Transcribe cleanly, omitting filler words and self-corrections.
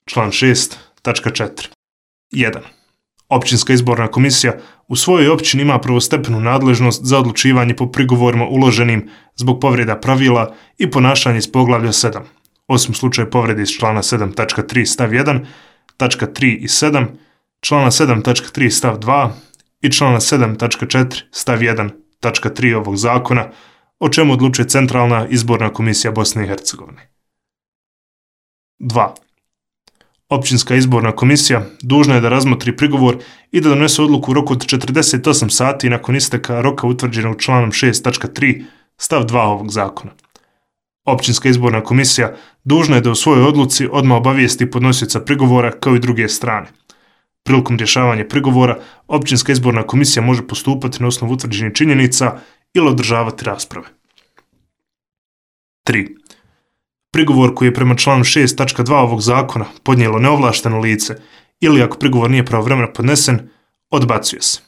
Član 6, tačka 4. 1. Općinska izborna komisija u svojoj općini ima prvostepenu nadležnost za odlučivanje po prigovorima uloženim zbog povreda pravila i ponašanja iz poglavlja 7, osim slučaju povrede iz člana 7, tačka 3, stav 1, tačka 3 i 7, člana 7, tačka 3, stav 2 i člana 7, tačka 4, stav 1, tačka 3 ovog zakona, o čemu odlučuje Centralna izborna komisija Bosne i Hercegovine. 2. Općinska izborna komisija dužna je da razmotri prigovor i da donese odluku u roku od 48 sati nakon isteka roka utvrđenog članom 6, tačka 3, stav 2 ovog zakona. Općinska izborna komisija dužna je da u svojoj odluci odmah obavijesti podnosioca prigovora kao i druge strane. Prilikom rješavanja prigovora, Općinska izborna komisija može postupati na osnovu utvrđenih činjenica ili održavati rasprave. 3. Prigovor koji je prema članu 6, tačka 2 ovog zakona podnijelo neovlašteno lice ili ako prigovor nije pravovremeno podnesen, odbacuje se.